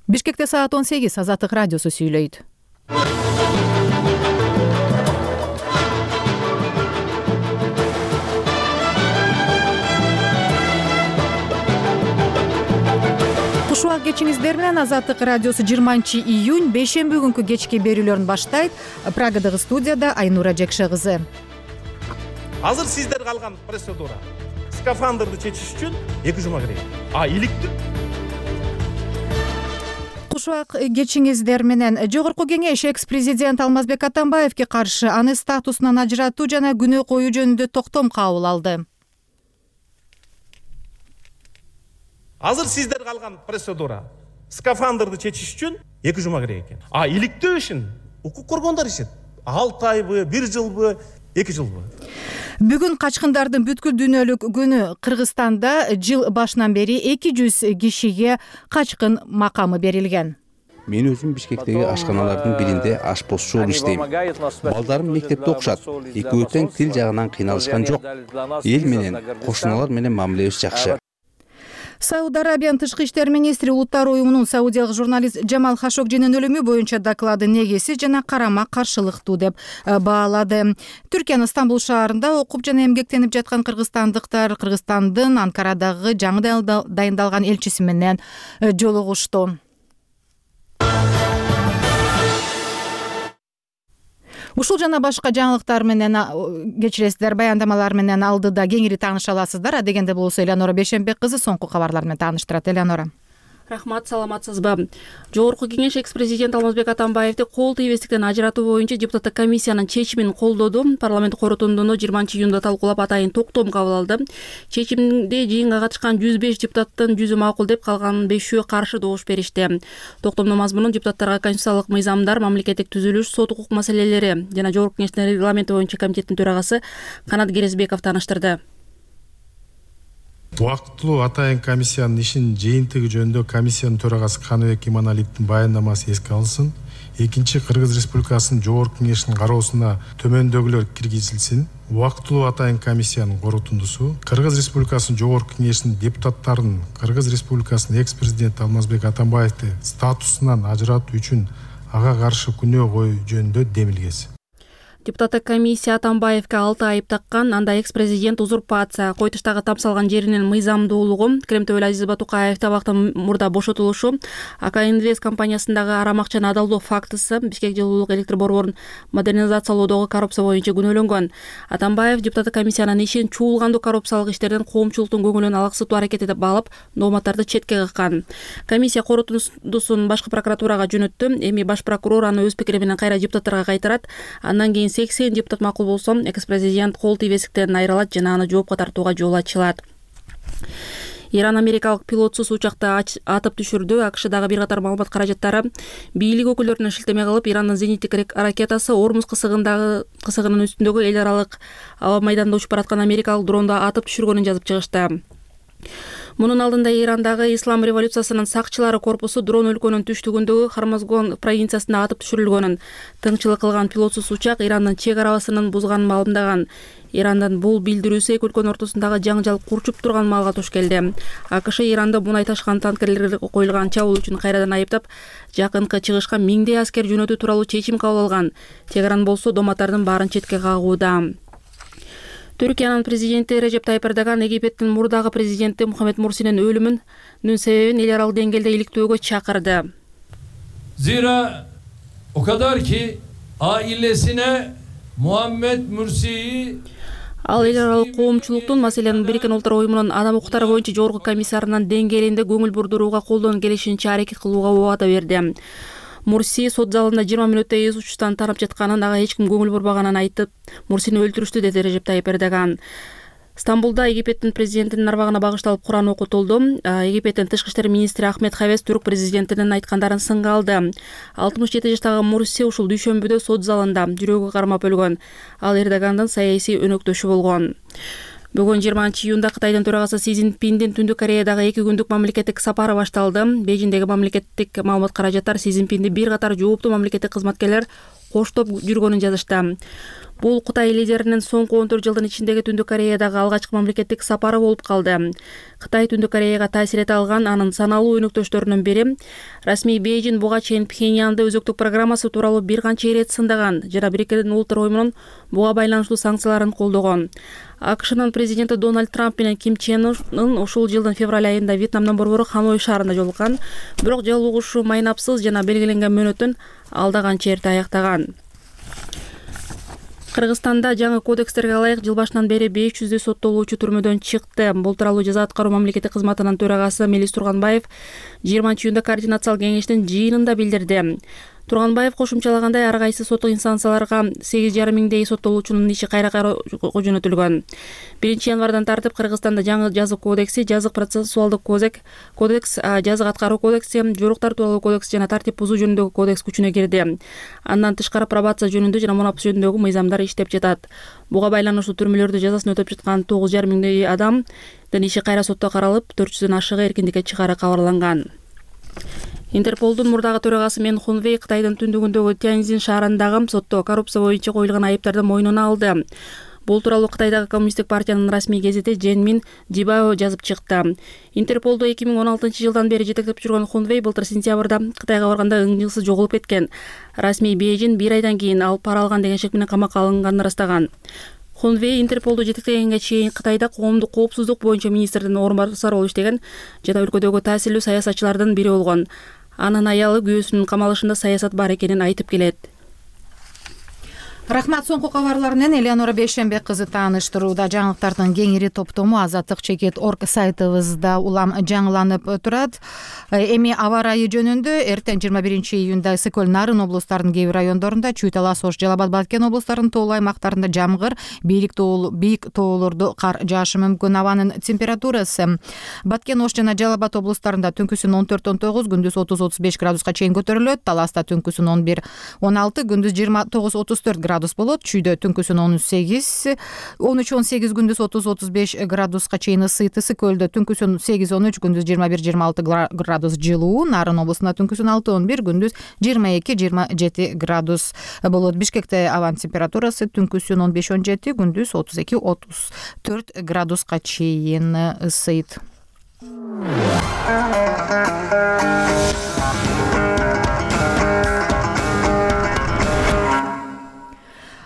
Бишкекте саат 18 Азаттык радиосу сүйлөйт. Кушубак кечиңиздер менен Азаттык радиосу 20-июнь бейшемби күнкү кечки берүүлөрүн баштайт. Прагадагы студияда Айнура Жекше кызы. Азыр сиздер калган процедура. Скафандрды чечиш үчүн 2 жума керек. Иликтүү. Кушубак кечиңиздер менен Жогорку кеңеш экс-президент Алмазбек Атамбаевге каршы аны статусунан ажыратуу жана күнөө коюу жөнүндө токтом кабыл алды. Азыр сиздер калган процедура. Скафандрды чечиш үчүн 2 жума керек экен. Иликтөө ишин укук коргондор ишет. 6 айбы, 1 жылбы, 2 жылбы. Бүгүн качкындардын бүткүл дүйнөлүк күнү. Кыргызстанда жыл башынан бери 200 кишиге качкын макамы берилген. Мен өзүм Бишкектеги ашканалардын биринде ашпозчу болуп иштейм. Балдарым мектепте окушат. Экөө тең тил жагынан кыйналышкан жок. Эл менен, кошуналар менен мамилебиз жакшы. Сауд Арабиянын тышкы иштер министри Улуттар уюмунун саудиялык журналист Джамал Хашогжинин өлүмү боюнча доклады негизсиз жана карама каршылыктуу деп баалады. Түркиянын Стамбул шаарында окуп жана эмгектенип жаткан кыргызстандыктар Кыргызстандын Анкарадагы жаңы дайындалган элчиси менен жолугушту. Ушул жана башка жаңылыктар менен кечиресиздер, баяндамалар менен алдыда кеңири тааныша аласыздар. Адегенде болсо Элеонора Бейшембек кызы соңку кабарлар менен тааныштырат. Элеонора. Рахмат, саламатсызбы? Жогорку кеңеш экс-президент Алмазбек Атамбаевди кол тийбестиктен ажыратуу боюнча депутаттык комиссиянын чечимин колдоду. Парламент корутундуну 20-июнда талкуулап атайын токтом кабыл алды. Чечимде жыйынга катышкан 105 депутаттын 100 макул деп, калган 5-өө каршы добуш беришти. Токтомдун мазмунун депутаттарга конституциялык мыйзамдар, мамлекеттик түзүлүш, сот укук маселелери жана Жогорку кеңештин регламенти боюнча комитеттин төрагасы Канат Керезбеков тааныштырды. Убактылуу атайын комиссиянын ишинин жыйынтыгы жөнүндө комиссиянын төрагасы Каныбек Иманалиевдин баяндамасы эске алынсын. Экинчи, Кыргыз Республикасынын Жогорку кеңешинин кароосуна төмөндөгүлөр киргизилсин. Убактылуу атайын комиссиянын корутундусу Кыргыз Республикасынын Жогорку кеңешинин депутаттарын Кыргыз Республикасынын экс-президенти Алмазбек Атамбаевди статусунан ажыратуу үчүн ага каршы күнөө коюу жөнүндө демилгеси. Депутаттык комиссия Атамбаевге 6 айып таккан. Анда экс-президент узурпация, Койтуштагы тамсалган жеринин мыйзамдуулугу, Кремтөбөл Азиз Батукаев абактан мурда бошотулушу, АК Инвест компаниясындагы арам акчаны адалдоо фактысы, Бишкек жылуулук электр борборун модернизациялоодогу коррупция боюнча күнөөлөнгөн. Атамбаев депутаттык комиссиянын ишин чуулгандуу коррупциялык иштерден коомчулуктун көңүлүн алаксытуу аракети деп баалап, дооматтарды четке каккан. Комиссия корутундусун башкы прокуратурага жөнөттү. Эми баш прокурор аны өз пикири менен кайра депутаттарга кайтарат. Андан кийин 80 депутат макул болсо, экс-президент кол тийбестиктен айрылат жана аны жоопко тартууга жол ачылат. Иран америкалык пилотсуз учакты атып түшүрдү. АКШдагы бир катар маалымат каражаттары бийлик өкүлдөрүнө шилтеме кылып, Ирандын зениттик ракетасы Ормуз кысыгынын үстүндөгү эл аралык аба майданда учуп бараткан америкалык дронду атып түшүргөнүн жазып чыгышты. Мунун алдында Ирандагы Ислам революциясынын сакчылары корпусу дрон өлкөнүн түштүгүндөгү Хармазгон провинциясында атып түшүрүлгөнүн, тыңчылык кылган пилотсуз учак Ирандын чек арабасын бузганын маалымдаган. Ирандан бул билдирүүсү эки өлкөнүн ортосундагы жаңжал курчуп турган маалга туш келди. АКШ Иранда мунай ташкан танкерлерге коюлган чабуул үчүн кайрадан айыптап, жакынкы чыгышка 1000 аскер жөнөтүү тууралуу чечим кабыл алган. Тегеран болсо дооматтардын баарын четке кагууда. Түркиянын президенти Режеп Тайып Эрдоган Египеттин мурдагы президенти Мухаммед Мурсинин өлүмүнүн себебин эл аралык деңгээлде иликтөөгө чакырды. Zira o kadar ki ailesine Muhammed Mursi'yi Ал эл аралык коомчулуктун, маселен Бириккен Улуттар уюмунун адам укуктары боюнча жогорку комиссарынын деңгээлинде көңүл бурдурууга колдон келишинче аракет кылууга убада берди. Мурси сот залында 20 мүнөттөй эз учуштан тарап жатканын, ага эч ким көңүл бурбаганын айтып, Мурсини өлтүрүштү, деди Режеп Тайып Эрдоган. Стамбулда Египеттин президентинин арбагына багышталып Куран окутулду. Египеттин тышкы иштер министри Ахмед Хавес түрк президентинин айткандарын сынга алды. 67 жаштагы Мурси ушул дүйшөмбүдө сот залында жүрөгү кармап өлгөн. Ал Эрдогандын саясий өнөктөшү болгон. Бүгүн 20-июнда Кытайдын төрагасы Си Цзиньпиндин Түндүк Кореядагы 2 күндүк мамлекеттик сапары башталды. Бейжиңдеги мамлекеттик маалымат каражаттар Си Цзиньпинди бир катар жооптуу мамлекеттик кызматкерлер коштоп жүргөнүн жазышты. Бул Кытай лидеринин соңку 14 жылдын ичиндеги Түндүк Кореядагы алгачкы мамлекеттик сапары болуп калды. Кытай Түндүк Кореяга таасир эте алган анын саналуу өнөктөштөрүнүн бири. Расмий Бейжин буга чейин Пхеньянды өзөктүк программасы тууралуу бир канча ирет сындаган жана Бириккен Улуттар уюмунун буга байланыштуу санкцияларын колдогон. АКШнын президенти Дональд Трамп менен Ким Чен Ын ушул жылдын февраль айында Вьетнамдын борбору Ханой шаарында жолуккан. Бирок жолугушуу майнапсыз жана белгиленген мөөнөттөн алдаган черте аяктаган. Кыргызстанда жаңы кодекстерге ылайык жыл башынан бери 500 соттолуучу түрмөдөн чыкты. Бул тууралуу жаза аткаруу мамлекеттик кызматынын төрагасы Мелис Турганбаев 20-июнда координациялык кеңештин жыйынында билдирди. Турганбаев кошумчалагандай, ар кайсы соттук инстанцияларга 8,5 миңдей соттолуучунун иши кайра жөнөтүлгөн. 1-январдан тартып Кыргызстанда жаңы жазык кодекси, жазык процессуалдык кодекс, жазык аткаруу кодекси, жоруктар тууралуу кодекс жана тартип бузуу жөнүндөгү кодекс күчүнө кирди. Андан тышкары пробация жөнүндө жана мунапыс жөнүндөгү мыйзамдар иштеп жатат. Буга байланыштуу түрмөлөрдө жазасын өтөп жаткан 9,5 миңдей адамдын иши кайра сотто каралып, 400дөн ашыгы эркиндикке чыгаары кабарланган. Интерполдун мурдагы төрагасы Мен Хунвей Кытайдын түндүгүндөгү Тяньзин шаарындагы сотто коррупция боюнча коюлган айыптарды мойнуна алды. Бул тууралуу Кытайдагы коммунисттик партиянын расмий гезити Женмин Жибао жазып чыкты. Интерполду 2016-жылдан бери жетектеп жүргөн Хунвей былтыр сентябрда Кытайга барганда ыңгылсыз жоголуп кеткен. Расмий Бейжин 1 айдан кийин ал пара алган деген шек менен камакка алынганын ырастаган. Хунвей Интерполду жетектегенге чейин Кытайда коомдук коопсуздук боюнча министрдин орун басары болуп иштеген жана өлкөдөгү таасирлүү саясатчылардын бири болгон. Анын аялы күйөөсүнүн камалышында саясат бар экенин айтып келет. Рахмат. Соңку кабарлар менен Элеонора Бейшембек кызы тааныштырууда. Жаңылыктардын кеңири топтому Азаттык.org сайтыбызда улам жаңыланып турат. Эми аба ырайы жөнүндө эртең 21-июнда Ысык Көл, Нарын облустарынын кээ бир райондорунда, Чүй Талас, Ош, Жалал Абад, Баткен облустарынын тоолуу аймактарында жамгыр, бийик тоолордо кар жаашы мүмкүн. Абанын температурасы Баткен, Ош жана Жалал Абад облустарында түнкүсүн 14-19, күндүз 30-35 градуска чейин көтөрүлөт. Таласта түнкүсүн 11-16, күндүз 29-34 градус болот. Чүйдө түнкүсүн 13-18, күндүз 30-35 градуска чейин ысыйт. Ысык Көлдө түнкүсүн 8-13, күндүз 21-26 градус жылуу. Нарын облусунда түнкүсүн 6-11, күндүз 22-27 градус болот. Бишкекте абанын температурасы түнкүсүн 15-17, күндүз 32-34 градуска чейин ысыйт.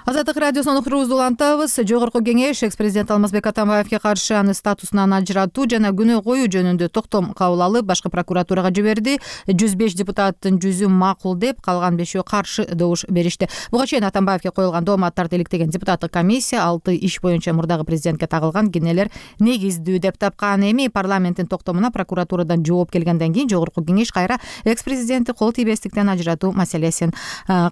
Азаттык радиосунун уктуруубузду улантабыз. Жогорку кеңеш экс-президент Алмазбек Атамбаевге каршы аны статусунан ажыратуу жана күнөө коюу жөнүндө токтом кабыл алып, башкы прокуратурага жиберди. 105 депутаттын 100-ü макул деп, калган 5-өө каршы добуш беришти. Буга чейин Атамбаевге коюлган дооматтарды иликтеген депутаттык комиссия 6 иш боюнча мурдагы президентке тагылган кенелер негиздүү деп тапкан. Эми парламенттин токтомуна прокуратурадан жооп келгенден кийин жогорку кеңеш кайра экс-президентти кол тийбестиктен ажыратуу маселесин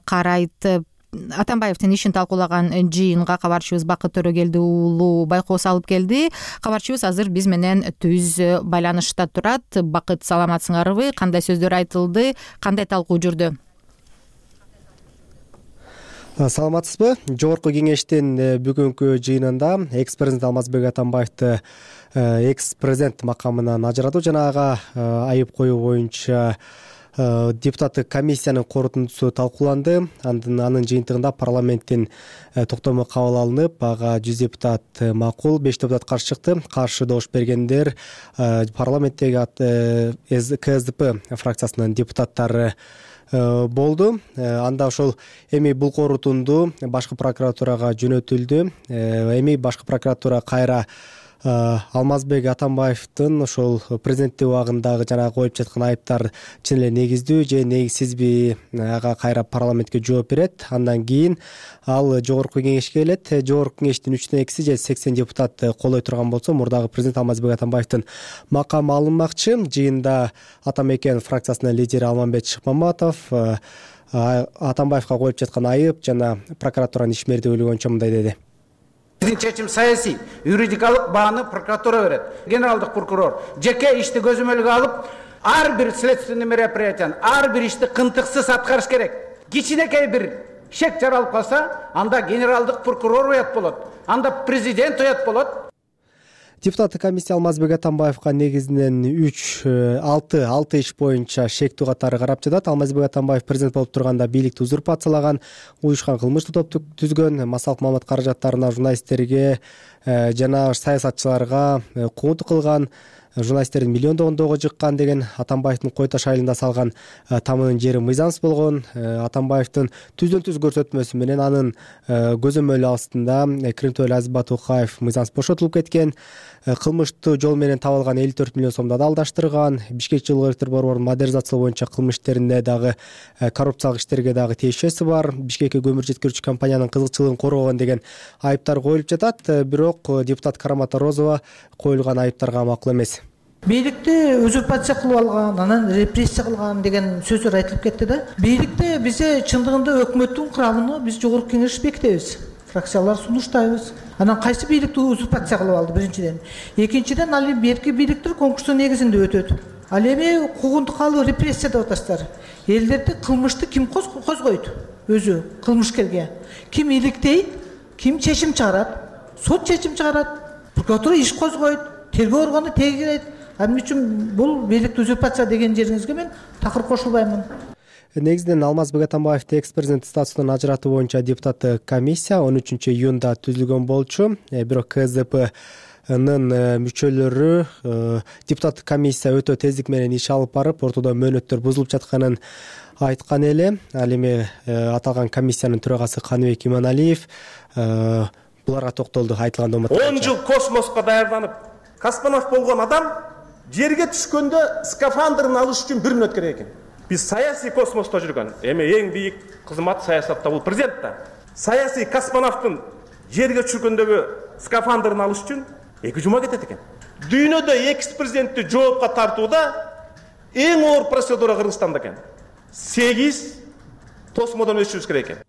карайт. Атамбаевдин ишин талкуулаган жыйынга кабарчыбыз Бакыт Төрөгелди уулу байкоос алып келди. Кабарчыбыз азыр биз менен түз байланышта турат. Бакыт, саламатсыңарбы? Кандай сөздөр айтылды? Кандай талкуу жүрдү? Саламатсызбы? Жогорку кеңештин бүгүнкү жыйынында экс-президент Алмазбек Атамбаевди экс-президент макамынан ажыратуу жана ага айып коюу боюнча депутаттык комиссиянын корутундусу талкууланды. Анын жыйынтыгында парламенттин токтому кабыл алынып, ага 100 депутат макул, 5 депутат каршы чыкты. Каршы добуш бергендер парламенттеги КСДП фракциясынын депутаттары болду. Анда ошол эми бул корутунду башкы прокуратурага жөнөтүлдү. Эми башкы прокуратура кайра Алмазбек Атамбаевдин ошол президенттик убагындагы жана коюп жаткан айыптар чын эле негиздүү же негизсизби, ага кайра парламентке жооп берет. Андан кийин ал жогорку кеңешке келет. Жогорку кеңештин 3/2 же 80 депутат колдой турган болсо, мурдагы президент Алмазбек Атамбаевдин макамы алынмакчы. Жыйында Атамекен фракциясынын лидери Алмамбет Шыкмаматов Атамбаевга коюп жаткан айып жана прокуратуранын ишмердиги боюнча мындай деди. Биздин чечим саясий, юридикалык бааны прокуратура берет. Генералдык прокурор жеке ишти көзөмөлгө алып, ар бир следственный мероприятияны, ар бир ишти кынтыксыз аткарыш керек. Кичинекей бир шек жаралып калса, анда генералдык прокурор уят болот, анда президент уят болот. Депутаттык комиссия Алмазбек Атамбаевга негизинен 6 иш боюнча шектүү катары карап жатат. Алмазбек Атамбаев президент болуп турганда бийликти узурпациялаган, уюшкан кылмыштуу топту түзгөн, массалык маалымат каражаттарына журналисттерге жана саясатчыларга куугунтук кылган, журналисттердин миллиондогондогу жыккан деген Атамбаевдин Кой Таш айылында салган тамынын жери мыйзамсыз болгон. Атамбаевдин түздөн түз көрсөтмөсү менен анын көзөмөлү астында Кремтөөлө Азиз Батукаев мыйзамсыз бошотулуп кеткен. Кылмыштуу жол менен табылган 54 миллион сомду да алдаштырган. Бишкек жылуу электр борборунун модернизациялоо боюнча кылмыш иштеринде дагы коррупциялык иштерге дагы тиешеси бар. Бишкекке көмүр жеткирүүчү компаниянын кызыкчылыгын коргогон деген айыптар коюлуп жатат. Бирок депутат Карамата Розова коюлган айыптарга макул эмес. Бийликти узурпация кылып алган, анан репрессия кылган деген сөздөр айтылып кетти да. Бийликте бизе чындыгында өкмөттүн курамын биз жогорку кеңеш бекитебиз. Фракциялар сунуштайбыз. Анан кайсы бийликти узурпация кылып алды биринчиден. Экинчиден ал берки бийликтер конкурстун негизинде өтөт. Ал эми куугунтук алып репрессия деп атасыздар. Элдерди кылмышты ким козгойт? Өзү кылмышкерге. Ким иликтейт? Ким чечим чыгарат? Сот чечим чыгарат. Прокуратура иш козгойт. Тергөө органы тегерет. Анын үчүн бул бийликти узурпация деген жериңизге мен такыр кошулбаймын. Негизинен Алмазбек Атамбаевди экс-президент статусунан ажыратуу боюнча депутаттык комиссия 13 июнда түзүлгөн болчу. Бирок КСДПнын мүчөлөрү депутаттык комиссия өтө тездик менен иш алып барып, ортодо мөөнөттөр бузулуп жатканын айткан эле. Ал эми аталган комиссиянын төрагасы Каныбек Иманалиев буларга токтолду. Айтылган 10 жыл космоска даярданып, космонавт болгон адам жерге түшкөндө скафандрын алыш үчүн 1 мүнөт керек экен. Биз саясий космосто жүргөн, эми эң бийик кызмат саясатта бул президент да. Саясий космонавттын жерге түшкөндөгү скафандрын алыш үчүн 2 жума кетет экен. Дүйнөдө экс-президентти жоопко тартууда эң оор процедура Кыргызстанда экен. 8 тосмодон өтүшүбүз керек экен.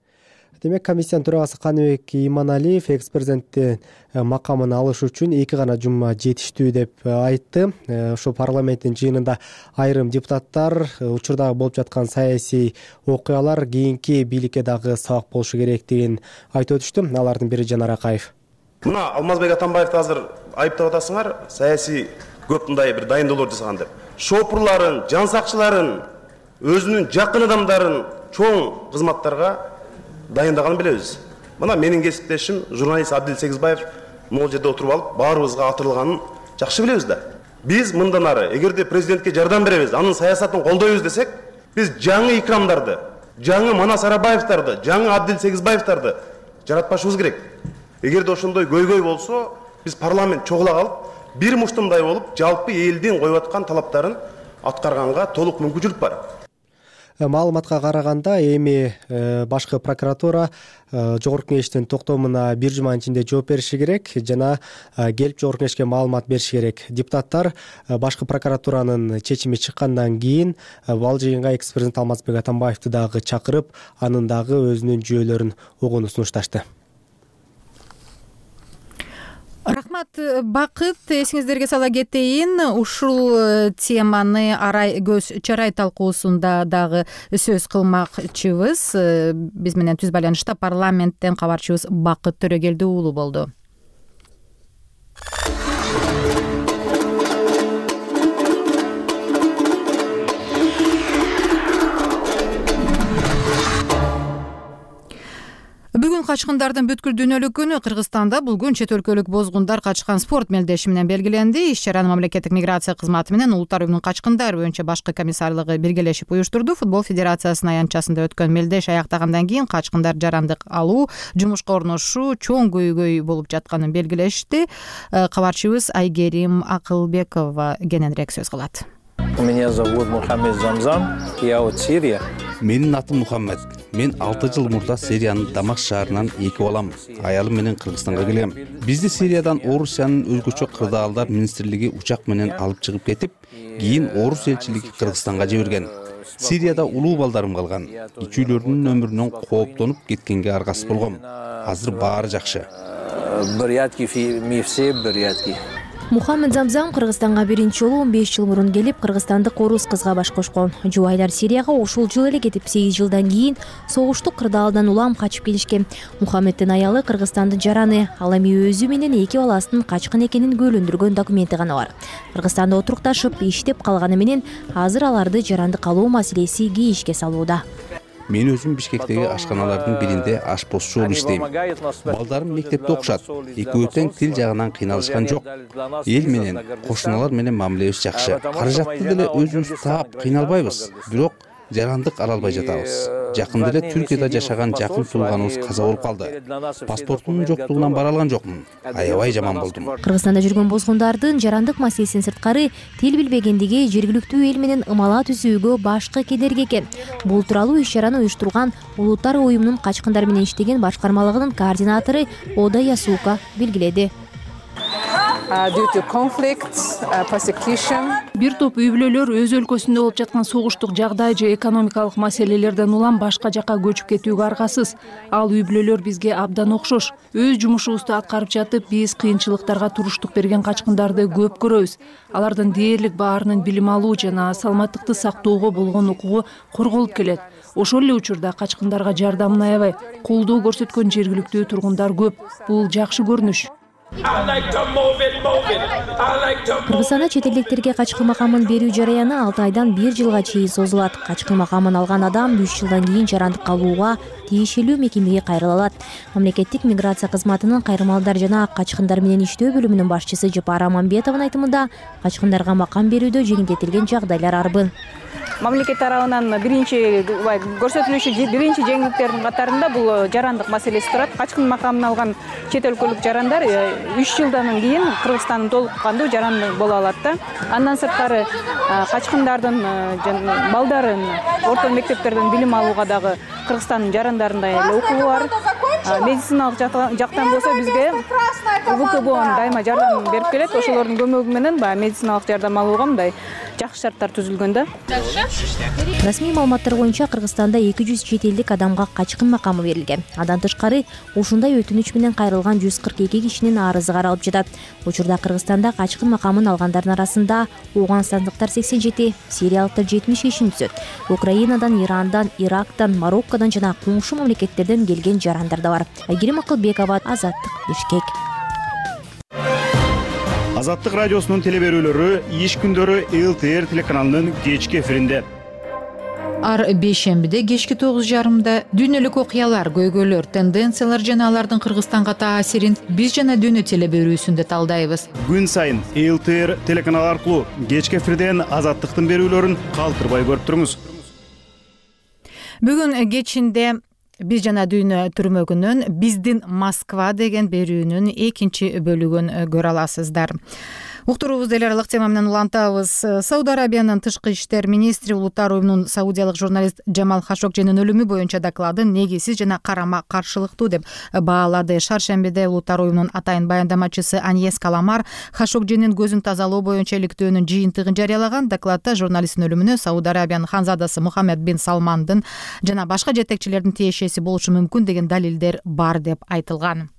Демек, комиссиянын төрагасы Каныбек Иманалиев экс-президенттин макамын алыш үчүн 2 гана жума жетиштүү деп айтты. Ошол парламенттин жыйынында айрым депутаттар учурдагы болуп жаткан саясий окуялар кийинки бийликке дагы сабак болушу керектигин айтып өтүштү. Алардын бири Жанар Акаев. Мына Алмазбек Атамбаевди азыр айыптап атасыңар, саясий көп мындай бир дайындоолор жасаган деп. Шопурларын, жан сакчыларын, өзүнүн жакын адамдарын чоң кызматтарга дайындаганын билебиз. Мына менин кесиптешим журналист Абдил Сегизбаев могул жерде отуруп алып, баарыбызга атырылганын жакшы билебиз да. Биз мындан ары эгерде президентке жардам беребиз, анын саясатын колдойбуз десек, биз жаңы Икрамдарды, жаңы Манас Арабаевдарды, жаңы Абдил Сегизбаевдарды жаратпашыбыз керек. Эгерде ошондой көйгөй болсо, биз парламент чогула калып, бир муштумдай болуп, жалпы элдин коюп аткан талаптарын аткарганга толук мүмкүнчүлүк бар. Маалыматка караганда эми башкы прокуратура жогорку кеңештин токтомуна 1 жуманын ичинде жооп бериши керек жана келип жогорку кеңешке маалымат бериши керек. Депутаттар башкы прокуратуранын чечими чыккандан кийин ал жыйынга экс-президент Алмазбек Атамбаевди дагы чакырып, анын дагы өзүнүн жүйөлөрүн угууну сунушташты. Рахмат, Бакыт. Эсиңиздерге сала кетейин, ушул теманы арай көз чарай талкуусунда дагы сөз кылмакчыбыз. Биз менен түз байланышта парламенттен кабарчыбыз Бакыт Төрөгелди уулу болду. Бүгүн качкындардын бүткүл дүйнөлүк күнү. Кыргызстанда бул күн чет өлкөлүк бозгундар качкан спорт мелдеши менен белгиленди. Иш-чараны мамлекеттик миграция кызматы менен Улуттар уюмунун качкындар боюнча башкы комиссарлыгы биргелешип уюштурду. Футбол федерациясынын аянтчасында өткөн мелдеш аяктагандан кийин качкындар жарандык алуу, жумушка орношуу чоң көйгөй болуп жатканын белгилешти. Кабарчыбыз Айгерим Акылбекова кененирээк сөз кылат. Меня зовут Мухаммед Замзам, я от Сирия. Менин атым Мухаммед. Мен 6 жыл мурда Сириянын Дамаск шаарынан эки балам, аялым менен Кыргызстанга келем. Бизди Сириядан Орусиянын өзгөчө кырдаалдар министрлиги учак менен алып чыгып кетип, кийин Орус элчилиги Кыргызстанга жиберген. Сирияда улуу балдарым калган. Ичүүлөрдүн өмүрүнөн кооптонуп кеткенге аргасыз болгом. Азыр баары жакшы. Мухаммед Замзам Кыргызстанга биринчи жолу 15 жыл мурун келип, кыргызстандык орус кызга баш кошкон. Жубайлар Сирияга ушул жыл эле кетип, 8 жылдан кийин согуштук кырдаалдан улам качып келишкен. Мухаммеддин аялы Кыргызстандын жараны, ал эми өзү менен 2 баласынын качкын экенин күбөлөндүргөн документи гана бар. Кыргызстанда отурукташып, иштеп калганы менен азыр аларды жаранды калуу маселеси кейишке салууда. Мен өзүм Бишкектеги ашканалардын биринде ашпозчу болуп иштейм. Балдарым мектепте окушат. Экөө тең тил жагынан кыйналышкан жок. Эл менен, кошуналар менен мамилебиз жакшы. Каражатты деле өзүбүз таап кыйналбайбыз. Бирок жарандык ала албай жатабыз. Жакында эле Түркияда жашаган жакын тууганыбыз каза болуп калды. Паспортумдун жоктугунан бара алган жокмун. Аябай жаман болдум. Кыргызстанда жүргөн бозгундардын жарандык маселесинин сырткары тил билбегендиги жергиликтүү эл менен ымала түзүүгө башкы кедерги экен. Бул тууралуу иш-чараны уюштурган Улуттар уюмунун качкындар менен иштеген башкармалыгынын координатору Ода Ясуука белгиледи. Бир топ үй бүлөлөр өз өлкөсүндө болуп жаткан согуштук жагдай же экономикалык маселелерден улам башка жакка көчүп кетүүгө аргасыз. Ал үй бүлөлөр бизге абдан окшош. Өз жумушубузду аткарып жатып, биз кыйынчылыктарга туруштук берген качкындарды көп көрөбүз. Алардын дээрлик баарынын билим алуу жана саламаттыкты сактоого болгон укугу корголуп келет. Ошол эле учурда качкындарга жардамын аябай колдоо көрсөткөн жергиликтүү тургундар көп. Бул жакшы көрүнүш. Кыргызстанда чет элдиктерге качкын макамын берүү жараяны 6 айдан 1 жылга чейин созулат. Качкын макамын алган адам 3 жылдан кийин жарандык калууга тиешелүү мекемеге кайрыла алат. Мамлекеттик миграция кызматынын кайрымалдар жана качкындар менен иштөө бөлүмүнүн башчысы Жапар Аманбетовдун айтымында, качкындарга макам берүүдө жеңилдетилген жагдайлар арбын. Мамлекет тарабынан биринчи көрсөтүлүшү биринчи жеңилдиктердин катарында бул жарандык маселеси турат. Качкын макамын алган чет өлкөлүк жарандар 3 жылдан кийин Кыргызстандын толук кандуу жараны боло алат да. Андан сырткары качкындардын балдарын орто мектептерден билим алууга дагы Кыргызстандын жарандарында эле укугу бар. Медициналык жактан болсо бизге УКБО дайыма жардам берип келет. Ошолордун көмөгү менен баягы медициналык жардам алууга мындай жакшы шарттар түзүлгөн да. Расмий маалыматтар боюнча Кыргызстанда 200 чет элдик адамга качкын макамы берилген. Андан тышкары ушундай өтүнүч менен кайрылган 142 кишинин арызы каралып жатат. Учурда Кыргызстанда качкын макамын алгандардын арасында Ооганстандыктар 87, сириялыктар 75 түзөт. Украинадан, Ирандан, Ирактан, Мароккодон жана коңшу мамлекеттерден келген жарандар да бар. Айгерим Акылбекова, Азаттык, Бишкек. Азаттык радиосунун телеберүүлөрү иш күндөрү ЛТР телеканалынын кечки эфиринде. Ар бейшембиде кечки 9:30 дүйнөлүк окуялар, көйгөйлөр, тенденциялар жана алардын Кыргызстанга таасирин биз жана дүйнө телеберүүсүндө талдайбыз. Күн сайын ЛТР телеканалы аркылуу кечки эфирден Азаттыктын берүүлөрүн калтырбай көрүп туруңуз. Бүгүн кечинде биз жана дүйнө түрмөгүнүн биздин Москва деген берүүнүн экинчи бөлүгүн көрө аласыздар. Уктуруубузду эл аралык тема менен улантабыз. Сауд Арабиянын тышкы иштер министри Улуттар уюмунун саудиялык журналист Джамал Хашогжинин өлүмү боюнча докладын негизсиз жана карама каршылыктуу деп баалады. Шаршембиде Улуттар уюмунун атайын баяндамачысы Аньес Каламар Хашогжинин көзүн тазалоо боюнча иликтөөнүн жыйынтыгын жарыялаган. Докладта журналисттин өлүмүнө Сауд Арабиянын ханзадасы Мухаммед бин Салмандын жана башка жетекчилердин тиешеси болушу мүмкүн деген далилдер бар деп айтылган.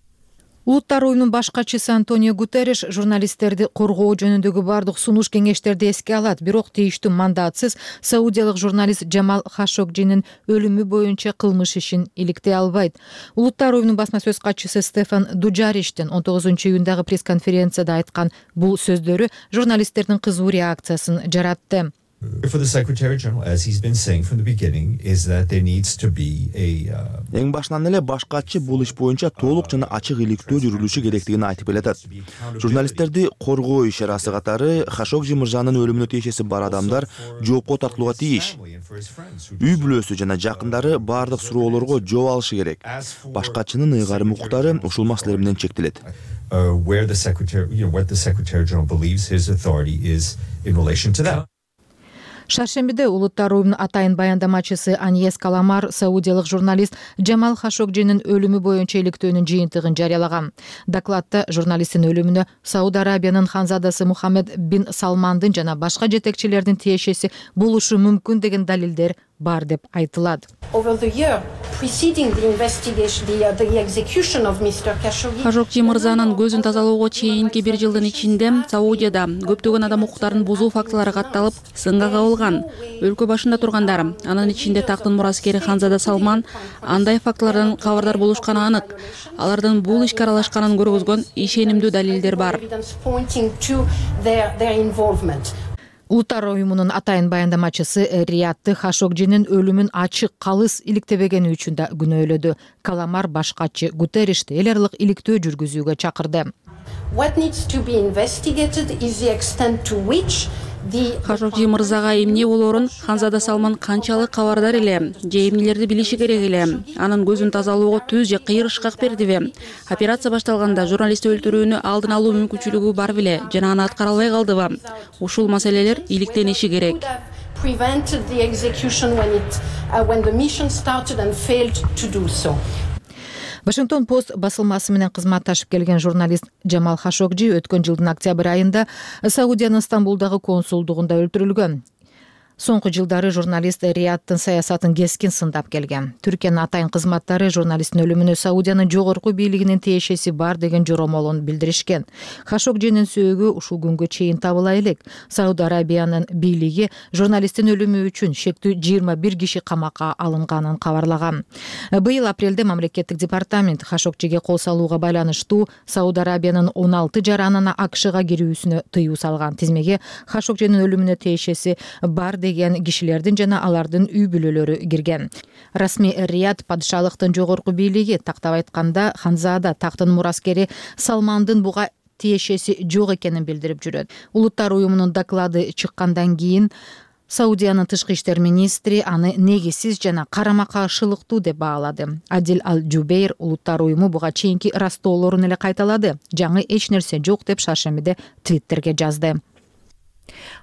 Улуттар уюмунун баш катчысы Антонио Гутерриш журналисттерди коргоо жөнүндөгү бардык сунуш кеңештерди эске алат, бирок тийиштүү мандатсыз саудиялык журналист Джамал Хашогжинин өлүмү боюнча кылмыш ишин иликтей албайт. Улуттар уюмунун басма сөз катчысы Стефан Дуджариштин 19-июндагы пресс-конференцияда айткан бул сөздөрү журналисттердин кызуу реакциясын жаратты. For the Secretary General, as he's been saying from the beginning, is that there needs to be a Эң башынан эле баш катчы бул иш боюнча толук жана ачык иликтөө жүрүлүшү керектигин айтып келатат. Журналисттерди коргоо иш-чарасы катары Хашогжи мырзанын өлүмүнө тиешеси бар адамдар жоопко тартылууга тийиш. Үй бүлөсү жана жакындары бардык суроолорго жооп алышы керек. Баш катчынын ыйгарым укуктары ушул маселелер менен чектелет. Where the Secretary, what the Secretary General believes his authority is in relation to that. Шаршембиде Улуттар уюмунун атайын баяндамачысы Аньес Каламар саудиялык журналист Джамал Хашогжинин өлүмү боюнча иликтөөнүн жыйынтыгын жарыялаган. Докладта журналисттин өлүмүнө Сауд Арабиянын ханзадасы Мухаммед бин Салмандын жана башка жетекчилердин тиешеси болушу мүмкүн деген далилдер бар деп айтылат. Хашогжи мырзанын көзүн тазалоого чейинки 1 жылдын ичинде Саудияда көптөгөн адам укуктарын бузуу фактылары катталып, сынга кабылган. Өлкө башында тургандар, анын ичинде тактын мураскери Ханзада Салман андай фактылардан кабардар болушканы анык. Алардын бул ишке аралашканын көргөзгөн ишенимдүү далилдер бар. Улуттар уюмунун атайын баяндамачысы Риятты Хашогжинин өлүмүн ачык калыс иликтебегени үчүн да күнөөлөдү. Каламар башкачы Гутерришти эл аралык иликтөө жүргүзүүгө чакырды. Хашогжи мырзага эмне болоорун Ханзада Салман канчалык кабардар эле, же эмнелерди билиши керек эле, анын көзүн тазалоого түз же кыйыр ышкак бердиби? Операция башталганда журналистти өлтүрүүнү алдын алуу мүмкүнчүлүгү бар беле, жана аны аткара албай калдыбы? Ушул маселелер иликтениши керек. Вашингтон Пост басылмасы менен кызматташып келген журналист Джамал Хашогжи өткөн жылдын октябрь айында Саудиянын Стамбулдагы консулдугунда өлтүрүлгөн. Соңку жылдары журналист Риядтын саясатын кескин сындап келген. Түркиянын атайын кызматтары журналисттин өлүмүнө Саудиянын жогорку бийлигинин тиешеси бар деген жоромолун билдиришкен. Хашогжинин сөөгү ушул күнгө чейин табыла элек. Сауд Арабиянын бийлиги журналисттин өлүмү үчүн шектүү 21 киши камакка алынганын кабарлаган. Быйыл апрелде мамлекеттик департамент Хашогжиге кол салууга байланыштуу Сауд Арабиянын 16 жаранына АКШга кирүүсүнө тыюу салган. Тизмеге Хашогжинин өлүмүнө тиешеси бар деген кишилердин жана алардын үй бүлөлөрү кирген. Расмий Рияд падышалыктын жогорку бийлиги, тактап айтканда Ханзада тактын мураскери Салмандын буга тиешеси жок экенин билдирип жүрөт. Улуттар уюмунун доклады чыккандан кийин Саудиянын тышкы иштер министри аны негизсиз жана карама каршылыктуу деп баалады. Адил Ал-Жубейр улуттар уюму буга чейинки растоолорун эле кайталады. Жаңы эч нерсе жок деп шаршембиде Твиттерге жазды.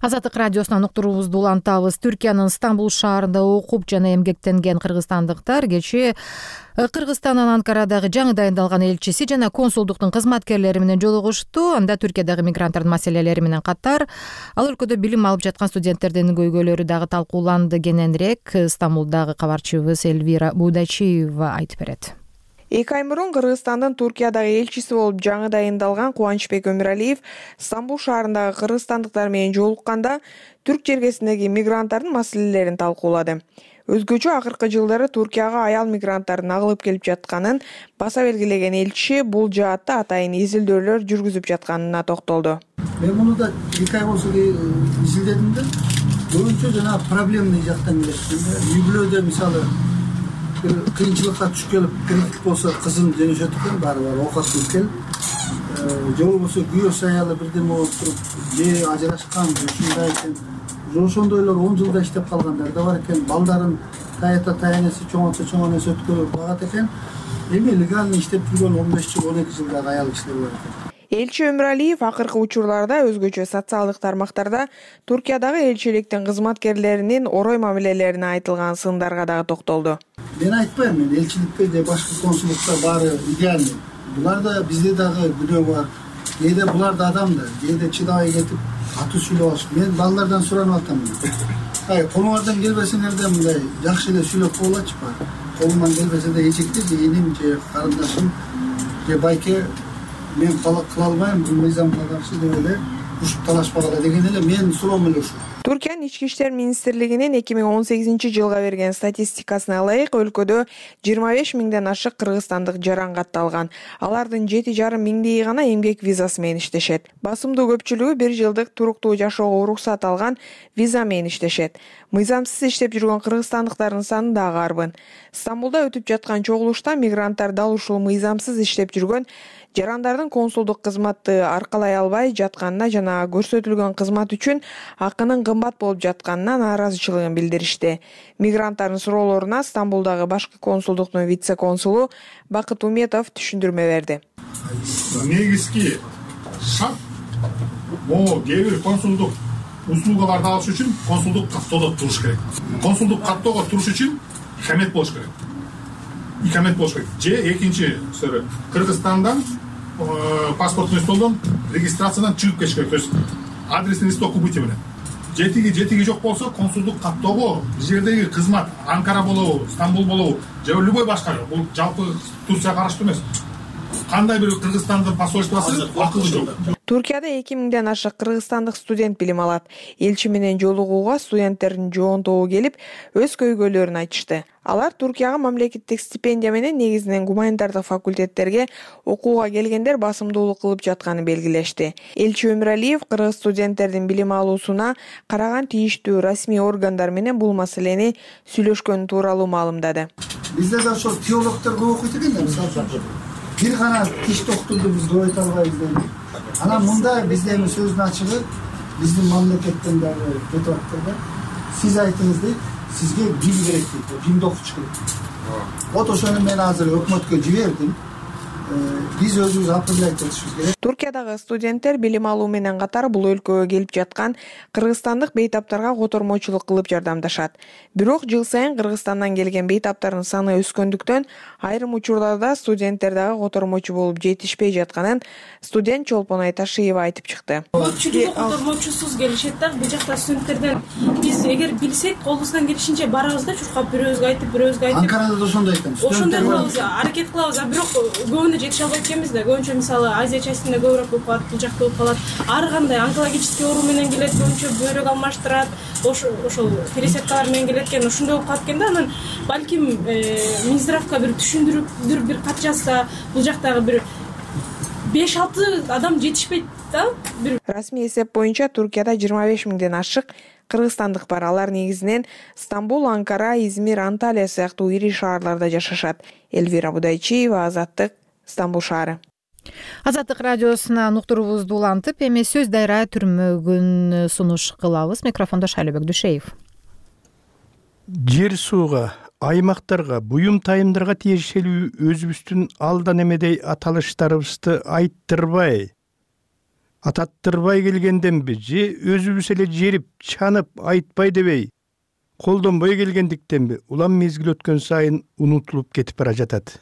Азаттык радиосунан уктуруубузду улантабыз. Түркиянын Стамбул шаарында окуп жана эмгектенген кыргызстандыктар кечээ Кыргызстандын Анкарадагы жаңы дайындалган элчиси жана консулдуктун кызматкерлери менен жолугушту. Анда Түркиядагы мигранттардын маселелери менен катар ал өлкөдө билим алып жаткан студенттердин көйгөйлөрү дагы талкууланды. Кененирээк Стамбулдагы кабарчыбыз Элвира Будачиева айтып берет. 2 ай мурун Кыргызстандын Туркиядагы элчиси болуп жаңы дайындалган Кубанычбек Өмүралиев Стамбул шаарындагы кыргызстандыктар менен жолукканда түрк жергесиндеги мигранттардын маселелерин талкуулады. Өзгөчө акыркы жылдары Туркияга аял мигранттардын агылып келип жатканын баса белгилеген элчи бул жаатта атайын изилдөөлөр жүргүзүп жатканына токтолду. Мен муну да 2 ай болсо изилдедим да, көбүнчө жана проблемный жактан келет. Үй бүлөдө мисалы кыйынчылыкка түшүп келип кредит болсо кызын жөнөшөт экен, баары оокат кылып келип, же болбосо күйөөсү аялы бирдеме болуп туруп, же ажырашкан, ушундай экен. Ошондойлор 10 жылда иштеп калгандар да бар экен. Балдарын таянеси чоңойсо өткөрүп багат экен. Эми легально иштеп жүргөн 15 жыл, 12 жылдагы аял кишилер бар экен. Элчи Өмүралиев акыркы учурларда өзгөчө социалдык тармактарда Туркиядагы элчиликтин кызматкерлеринин орой мамилелерине айтылган сындарга дагы токтолду. Мен айтпайм, мен элчиликте же башка консулдукта баары идеальный. Буларда бизде дагы күнөө бар. Кээде булар да адам да, кээде чыдабай кетип аты сүйлөп алышып. Мен балдардан суранып атам. Колуңардан келбесеңер да мындай жакшы эле сүйлөп коелачы бар. Колуман келбесе да эчекте же эним же карындашым же байке мен кыла албайм, бул мыйзамга каршы деп эле ушуп талашпагыла деген эле менин суроом эле ушул. Түркиянын ички иштер министрлигинин 2018-жылга берген статистикасына ылайык өлкөдө 25 миңден ашык кыргызстандык жаран катталган. Алардын 7,5 миңдеги гана эмгек визасы менен иштешет. Басымдуу көпчүлүгү 1 жылдык туруктуу жашоого уруксат алган виза менен иштешет. Мыйзамсыз иштеп жүргөн кыргызстандыктардын саны дагы арбын. Стамбулда өтүп жаткан чогулушта мигранттар дал ушул мыйзамсыз иштеп жүргөн жарандардын консулдук кызматты аркалай албай жатканына жана көрсөтүлгөн кызмат үчүн акынын кымбат болуп жатканына нааразычылыгын билдиришти. Мигранттардын суроолоруна Стамбулдагы башкы консулдуктун вице-консулу Бакыт Уметов түшүндүрмө берди. Негизги шарт могу кээ бир консулдук услугаларды алыш үчүн консулдук каттоодо туруш керек. Консулдук каттоого туруш үчүн икамет болуш керек. Икамет болуш керек. Же экинчи Кыргызстандан паспортный столдон регистрациядан чыгып кетиш керек. То есть адресный листок убытие менен. жетиги жок болсо консулдук каттоого бул жердеги кызмат Анкара болобу, Стамбул болобу же любой башка, бул жалпы Турцияга караштуу эмес. Кандай бир Кыргызстандын посольствосу акылы жок. Туркияда 2000ден ашык кыргызстандык студент билим алат. Элчи менен жолугууга студенттердин жоонтобу келип, өз көйгөйлөрүн айтышты. Алар Туркияга мамлекеттик стипендия менен негизинен гуманитардык факультеттерге окууга келгендер басымдуулук кылып жатканын белгилешти. Элчи Өмүралиев кыргыз студенттердин билим алуусуна караган тийиштүү расмий органдар менен бул маселени сүйлөшкөнү тууралуу маалымдады. Бизде да ошол теологдор көп окуйт экен да, мисалы бир гана тиш доктурду биз көп айта албайбыз. Анан мында бизде эми сөздүн ачыгы биздин мамлекеттен дагы кетип атты да. Сиз айтыңыз дейт, сизге бим керек дейт, бимди окутуш керек. Вот ошону мен азыр өкмөткө жибердим. Биз өзүбүз апелляция этишибиз керек. Туркиядагы студенттер билим алуу менен катар бул өлкөгө келип жаткан кыргызстандык бейтаптарга котормочулук кылып жардамдашат. Бирок жыл сайын Кыргызстандан келген бейтаптардын саны өскөндүктөн айрым учурларда студенттер дагы котормочу болуп жетишпей жатканын студент Чолпон Айташиева айтып чыкты. Көпчүлүгү котормочусуз келишет да, бул жакта студенттерден биз эгер билсек колубуздан келишинче барабыз да, чуркап бирөөбүзгө айтып. Анкарада да ошондой айтам. Ошондой кылабыз, аракет кылабыз, бирок көбүнө жетише албай экенбиз да. Көбүнчө мисалы Азия частинде көбүрөөк болуп калат, бул жакта болуп калат. Ар кандай онкологический оору менен келет, көбүнчө бөйрөк алмаштырат, ошол пересадкалар менен келет экен, ошондой болуп калат экен да. Анан балким Минздравга бир түшүндүрүп бир кат жазса, бул жактагы бир 5-6 адам жетишпейт да. Расмий эсеп боюнча Туркияда 25 миңден ашык кыргызстандык бар. Алар негизинен Стамбул, Анкара, Измир, Анталия сыяктуу ири шаарларда жашашат. Элвира Будайчиева, Азаттык, Стамбул шаары. Азаттык радиосунан уктуруубузду улантып, эми сөз дайра түрмөгүн сунуш кылабыз. Микрофондо Шайлебек Дүшеев. Жер сууга, аймактарга, буюм тайымдарга тиешелүү өзүбүздүн алдан эмедей аталыштарыбызды ататтырбай келгенденби же өзүбүз эле жерип, чанып, айтпай дебей, колдонбой келгендиктенби улам мезгил өткөн сайын унутулуп кетип бара жатат.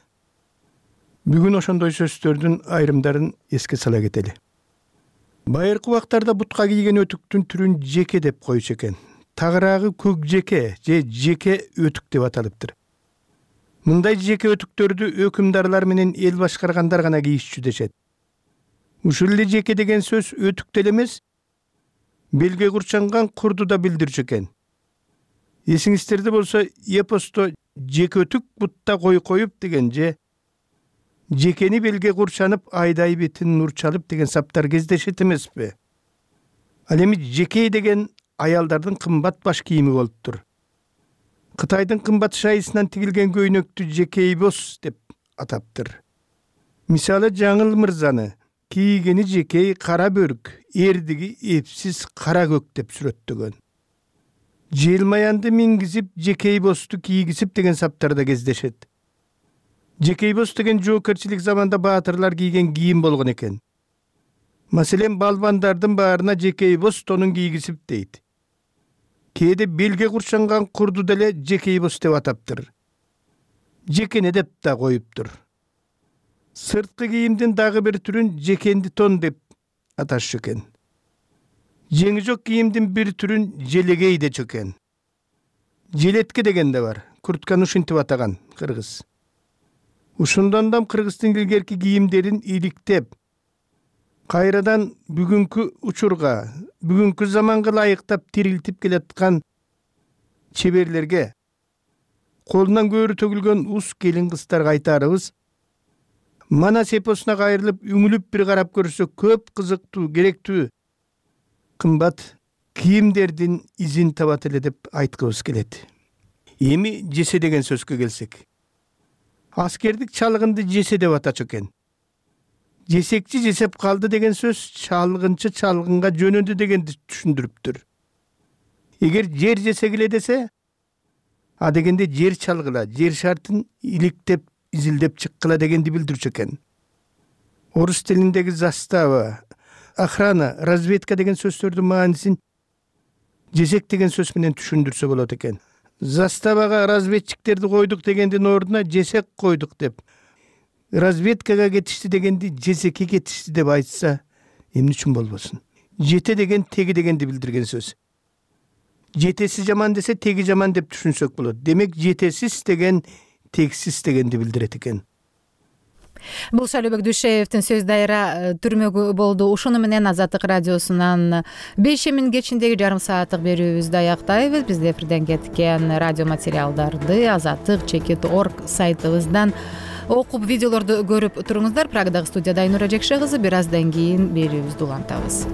Бүгүн ошондой сөздөрдүн айрымдарын эске сала кетели. Байыркы убактарда бутка кийген өтүктүн түрүн жеке деп койчу экен. Тагыраагы көк жеке же жеке өтүк деп аталыптыр. Мындай жеке өтүктөрдү өкүмдарлар менен эл башкаргандар гана кийишчү дешет. Ушул эле жеке деген сөз өтүк деле эмес, белге курчанган курду да билдирчү экен. Эсиңиздерде болсо эпосто жеке өтүк бутта кой коюп деген же жекени белге курчанып айдай бетин нур чалып деген саптар кездешет эмеспи? Ал эми жекей деген аялдардын кымбат баш кийими болуптур. Кытайдын кымбат шайысынан тигилген көйнөктү жекейбос деп атаптыр. Мисалы Жаңыл мырзаны кийгени жекей кара бөрүк, эрдиги эпсиз кара көк деп сүрөттөгөн. Желмаянды мингизип жекейбосту кийгизип деген саптарда кездешет. Жекейбос деген жоокерчилик заманда баатырлар кийген кийим болгон экен. Маселен, балбандардын баарына жекейбос тонун кийгизип дейт. Кээде белге курчанган курду деле жекейбос деп атаптыр. Жекене деп да коюптур. Сырткы кийимдин дагы бир түрүн жекенди тон деп аташчу экен. Жеңи жок кийимдин бир түрүн желегей дечү экен. Желетке деген да бар. Куртканы ушинтип атаган кыргыз. Ушундан да кыргыздын илгерки кийимдерин иликтеп, кайрадан бүгүнкү учурга, бүгүнкү заманга ылайыктап тирилтип келаткан чеберлерге, колунан көөрү төгүлгөн ус келин кыздарга айтарыбыз, Манас эпосуна кайрылып, үңүлүп бир карап көрсө көп кызыктуу, керектүү, кымбат кийимдердин изин табат эле деп айткыбыз келет. Эми жесе деген сөзгө келсек. Аскердик чалгынды жесе деп атачу экен. Жесекчи жесеп калды деген сөз чалгынчы чалгынга жөнөдү дегенди түшүндүрүптүр. Эгер жер жесе келе десе, а дегенде жер чалгыла, жер шартын иликтеп, изилдеп чыккыла дегенди билдирчү экен. Орус тилиндеги застава, охрана, разведка деген сөздөрдүн маанисин жесек деген сөз менен түшүндүрсө болот экен. Заставага разведчиктерди койдук дегендин ордуна жесек койдук деп, разведкага кетишти дегенди жесекке кетишти деп айтса, эмне үчүн болбосун? Жете деген теги дегенди билдирген сөз. жетеси жаман десе теги жаман деп түшүнсөк болот. Демек жетесиз деген тексиз дегенди билдирет экен. Бул Шайлообек Дүйшеевдин сөз дайра түрмөгү болду. Ушуну менен Азаттык радиосунан 5 кечиндеги жарым сааттык берүүбүздү аяктайбыз. Бизде эфирден кеткен радио материалдарды azattik.org сайтыбыздан окуп, видеолорду көрүп туруңуздар. Прагадагы студияда Айнура Жекше кызы. Бир аздан кийин берүүбүздү улантабыз.